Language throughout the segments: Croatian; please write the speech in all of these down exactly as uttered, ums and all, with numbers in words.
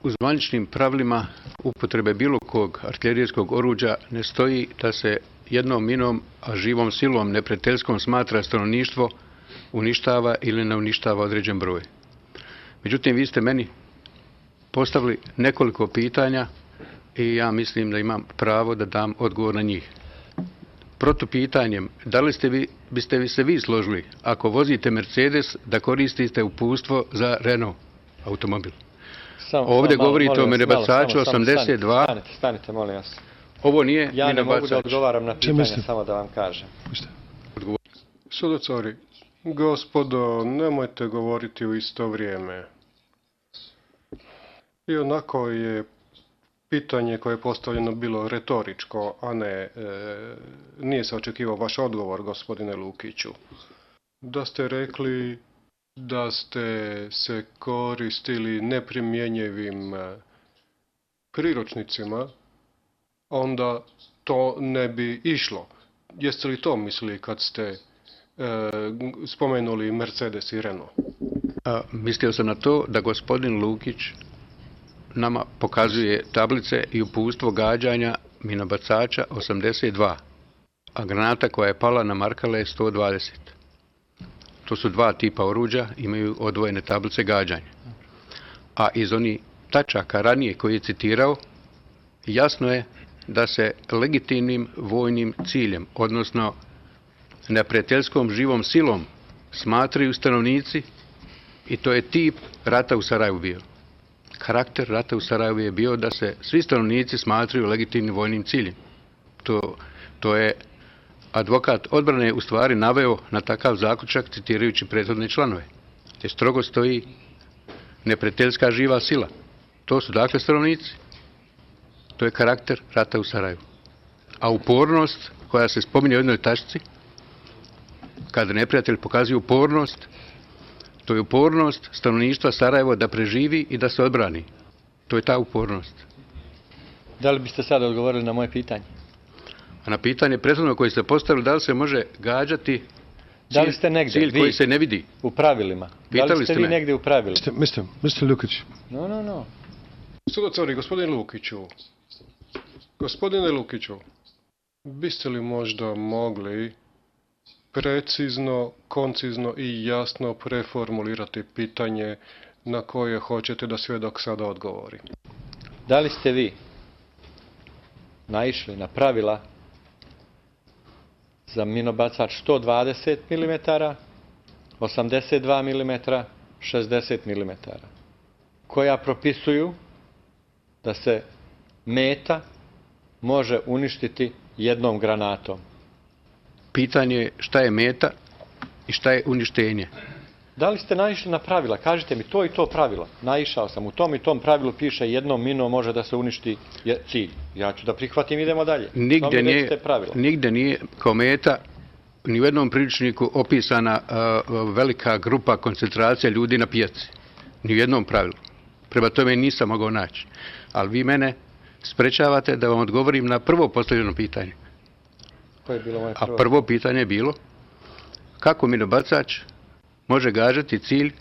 U zvaničnim pravilima upotrebe bilo kog artiljerijskog oruđa ne stoji da se jednom minom, a živom silom neprijateljskom smatra stanovništvo uništava ili ne uništava određen broj. Međutim, vi ste meni postavili nekoliko pitanja i ja mislim da imam pravo da dam odgovor na njih. Protupitanjem, da li ste vi, biste vi se vi složili ako vozite Mercedes da koristite uputstvo za Renault automobil? Samo, Ovdje malo, govorite malo, o minobacaču malo, osamdeset dva. Stanite, stanite, molim vas. Ovo nije ja minobacač. ne mogu da odgovaram na pitanje, samo da vam kažem. Sudocari, gospodo, nemojte govoriti u isto vrijeme. I onako je pitanje koje je postavljeno bilo retoričko, a ne, e, nije se očekivao vaš odgovor, gospodine Lukiću. Da ste rekli da ste se koristili neprimjenjivim priručnicima, onda to ne bi išlo. Jeste li to mislili kad ste e, spomenuli Mercedes i Renault? A, mislio sam na to da gospodin Lukić nama pokazuje tablice i uputstvo gađanja minobacača osamdeset dva, a granata koja je pala na Markale je sto dvadeset. To su dva tipa oruđa, imaju odvojene tablice gađanja. A iz onih tačaka ranije koje je citirao, jasno je da se legitimnim vojnim ciljem, odnosno neprijateljskom živom silom, smatraju stanovnici i to je tip rata u Sarajevu bio. Karakter rata u Sarajevu je bio da se svi stanovnici smatraju legitimnim vojnim ciljem. To, to je advokat odbrane u stvari naveo na takav zaključak citirajući prethodne članove. Te strogo stoji neprijateljska živa sila. To su dakle stanovnici. To je karakter rata u Sarajevu. A upornost koja se spominje u jednoj tačci, kada neprijatelj pokazuje upornost, to je upornost stanovništva Sarajeva da preživi i da se odbrani. To je ta upornost. Da li biste sada odgovorili na moje pitanje? A na pitanje prethodno koje ste postavili, da li se može gađati cilj, da li ste negdje, cilj koji vi, se ne vidi? U pravilima. Pitali da li ste vi me? negdje u pravilima? mister mister Lukić. No, no, no. Sudocari, gospodin Lukiću. Gospodine Lukiću, biste li možda mogli precizno, koncizno i jasno preformulirati pitanje na koje hoćete da svjedok sada odgovori? Da li ste vi naišli na pravila za minobacač sto dvadeset milimetara, osamdeset dva milimetra, šezdeset milimetara, koja propisuju da se meta može uništiti jednom granatom? Pitanje je šta je meta i šta je uništenje. Da li ste naišli na pravila? Kažite mi to i to pravilo. Naišao sam. U tom i tom pravilu piše jednom minom može da se uništi cilj. Ja ću da prihvatim, idemo dalje. Nigde nije, nigde nije kao meta ni u jednom priručniku opisana uh, velika grupa koncentracija ljudi na pijaci. Ni u jednom pravilu. Prema tome nisam mogao naći. Ali vi mene sprečavate da vam odgovorim na prvo postavljeno pitanje. Koje je bilo moje prvo? A prvo pitanje je bilo kako minobacač može gađati cilj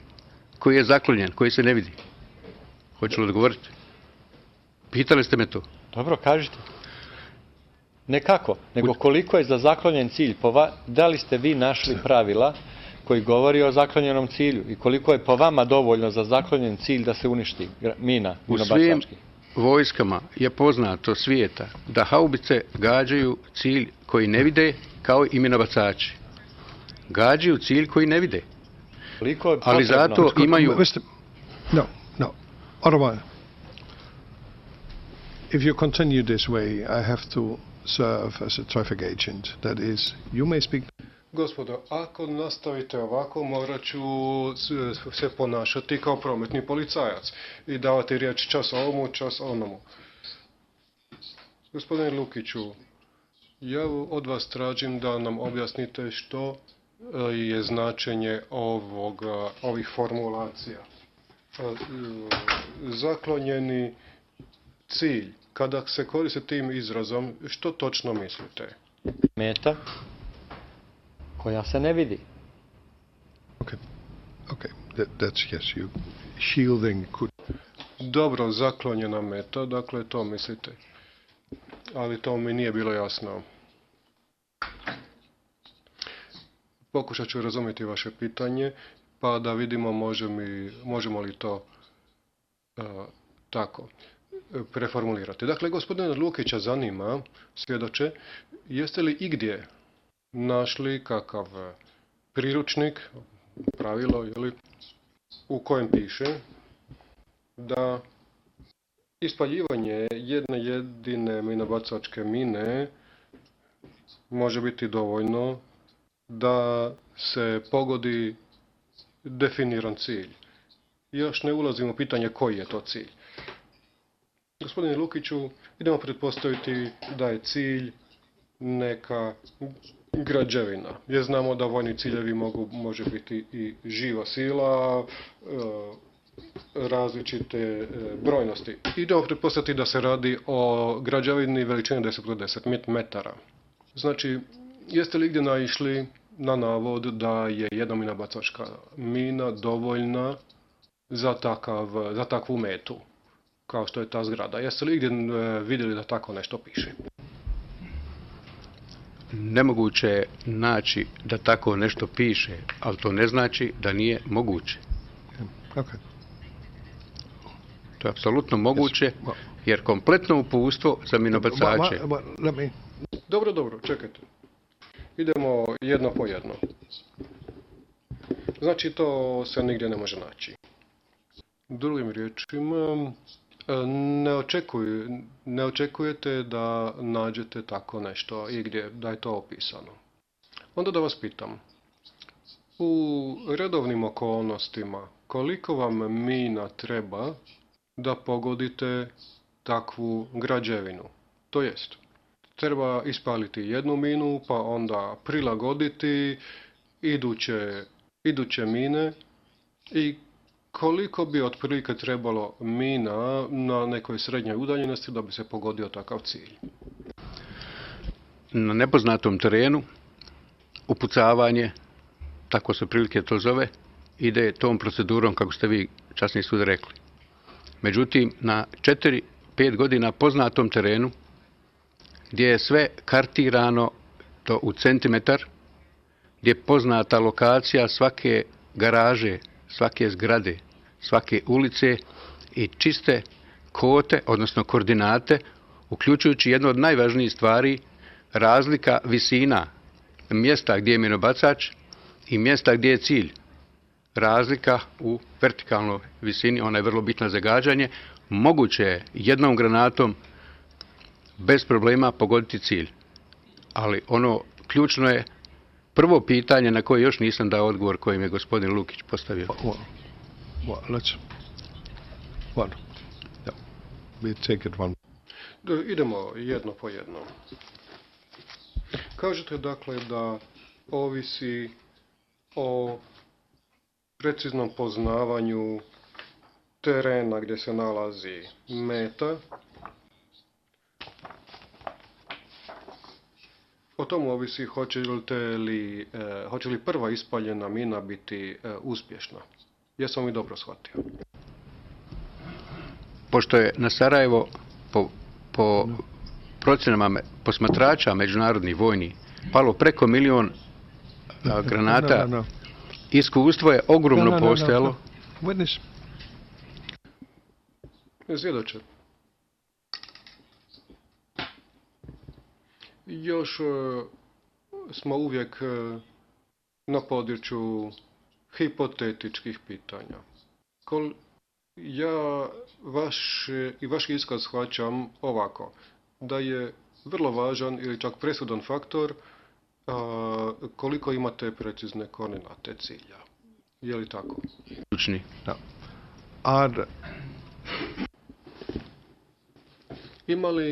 koji je zaklonjen, koji se ne vidi. Hoću li odgovoriti? Pitali ste me to. Dobro, kažite. Ne kako, nego koliko je za zaklonjen cilj. Da li ste vi našli pravila koji govori o zaklonjenom cilju i koliko je po vama dovoljno za zaklonjen cilj da se uništi mina minobacački? U svim vojskama je poznato svijeta da haubice gađaju cilj koji ne vide kao i minobacači. Gađaju cilj koji ne vide. Ali zato imaju... No, no. Otherwise, if you continue this way, I have to serve as a traffic agent. That is, you may speak... Gospodo, ako nastavite ovako, morat ću se ponašati kao prometni policajac i davati riječ čas ovomu, čas onomu. Gospodine Lukiću, ja od vas tražim da nam objasnite što je značenje ovoga, ovih formulacija. Zaklonjeni cilj. Kada se koriste tim izrazom, što točno mislite? Meta koja se ne vidi. Okay. Okay. That, that's yes, you shielding could... dobro zaklonjena meta, dakle to mislite. Ali to mi nije bilo jasno. Pokušat ću razumjeti vaše pitanje, pa da vidimo može mi, možemo li to uh, tako preformulirati. Dakle, gospodina Lukića zanima, svjedoče, jeste li igdje našli kakav priručnik, pravilo, jeli, u kojem piše da ispaljivanje jedne jedine minobacačke mine može biti dovoljno da se pogodi definiran cilj. Još ne ulazimo u pitanje koji je to cilj. Gospodine Lukiću, idemo pretpostaviti da je cilj neka građevina. Jer znamo da vojni ciljevi mogu, može biti i živa sila, različite brojnosti. Idemo pretpostaviti da se radi o građevini veličine deset kruž deset metara. Znači, jeste li gdje naišli na navod da je jedna minobacačka mina dovoljna za, takav, za takvu metu, kao što je ta zgrada? Jeste li gdje vidjeli da tako nešto piše? Nemoguće je naći da tako nešto piše, ali to ne znači da nije moguće. Okay. To je apsolutno moguće, jer kompletno uputstvo za minobacače. Dobro, dobro, čekajte. Idemo jedno po jedno. Znači, to se nigdje ne može naći. Drugim riječima, ne, očekuj, ne očekujete da nađete tako nešto i gdje, da je to opisano. Onda da vas pitam, u redovnim okolnostima, koliko vam mina treba da pogodite takvu građevinu? To jest, treba ispaliti jednu minu, pa onda prilagoditi iduće, iduće mine i koliko bi otprilike trebalo mina na nekoj srednjoj udaljenosti da bi se pogodio takav cilj? Na nepoznatom terenu upucavanje, tako se prilike to zove, ide tom procedurom kako ste vi časni sud rekli. Međutim, na četiri pet godina poznatom terenu, gdje je sve kartirano to u centimetar, gdje je poznata lokacija svake garaže, svake zgrade, svake ulice i čiste kote, odnosno koordinate, uključujući jednu od najvažnijih stvari, razlika visina mjesta gdje je minobacač i mjesta gdje je cilj. Razlika u vertikalnoj visini, ona je vrlo bitna za gađanje, moguće je jednom granatom bez problema pogoditi cilj. Ali ono ključno je prvo pitanje na koje još nisam dao odgovor kojim je gospodin Lukić postavio. Well, well, let's, one. Yeah. We take it one. Idemo jedno po jedno. Kažete dakle da ovisi o preciznom poznavanju terena gdje se nalazi meta. O tomu ovisi hoće li, eh, hoće li prva ispaljena mina biti eh, uspješna. Jesam li dobro shvatio? Pošto je na Sarajevo po, po procjenama posmatrača međunarodnih vojnih palo preko milion a, granata, no, no, no. Iskustvo je ogromno no, no, no, postojalo. No, no. Svjedoče. Još uh, smo uvijek uh, na području hipotetičkih pitanja. Kol, ja vaš, i vaš iskaz shvaćam ovako, da je vrlo važan ili čak presudan faktor uh, koliko imate precizne koordinate cilja. Je li tako? Ključni. Da. Ad... Ima li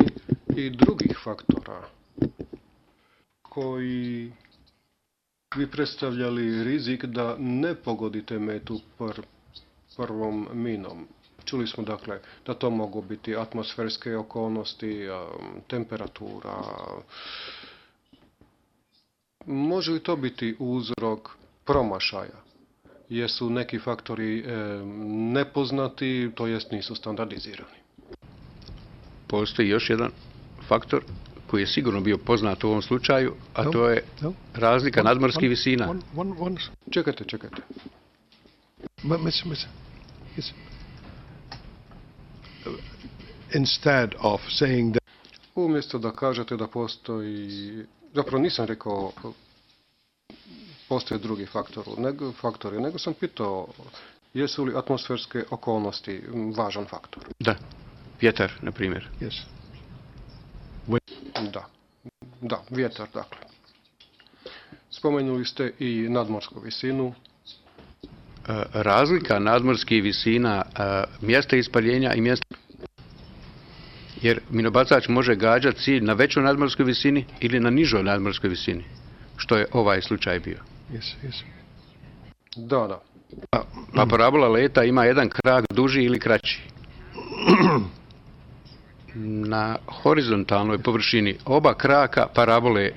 i drugih faktora koji bi predstavljali rizik da ne pogodite metu pr, prvom minom? Čuli smo dakle da to mogu biti atmosferske okolnosti, temperatura. Može li to biti uzrok promašaja? Jesu neki faktori e, nepoznati, to jest nisu standardizirani? Postoji još jedan faktor koji je sigurno bio poznat u ovom slučaju, a No, to je no. razlika One- nadmorskih one- visina. One, one, one, Čekajte, čekajte. but mister mister Yes. Instead of saying that Umjesto da kažete da postoji, zapravo nisam rekao postoje drugi faktor, nego, faktori, nego sam pitao jesu li atmosferske okolnosti važan faktor. Da, vjetar, na primjer. yes, Da, da, vjetar, dakle. Spomenuli ste i nadmorsku visinu. E, Razlika nadmorskih visina, e, mjesta ispaljenja i mjesta... Jer minobacač može gađati cilj na većoj nadmorskoj visini ili na nižoj nadmorskoj visini, što je ovaj slučaj bio. yes, yes. Da, da. Pa, pa parabola leta ima jedan krak duži ili kraći. Na horizontalnoj površini oba kraka parabole e,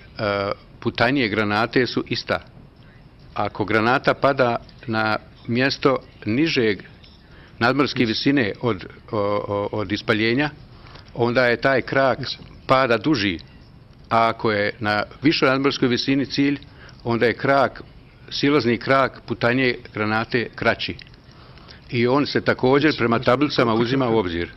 putanije granate su ista. Ako granata pada na mjesto nižeg nadmorske visine od, o, o, od ispaljenja, onda je taj krak pada duži. A ako je na višoj nadmorskoj visini cilj, onda je krak, silazni krak putanije granate kraći. I on se također prema tablicama uzima u obzir.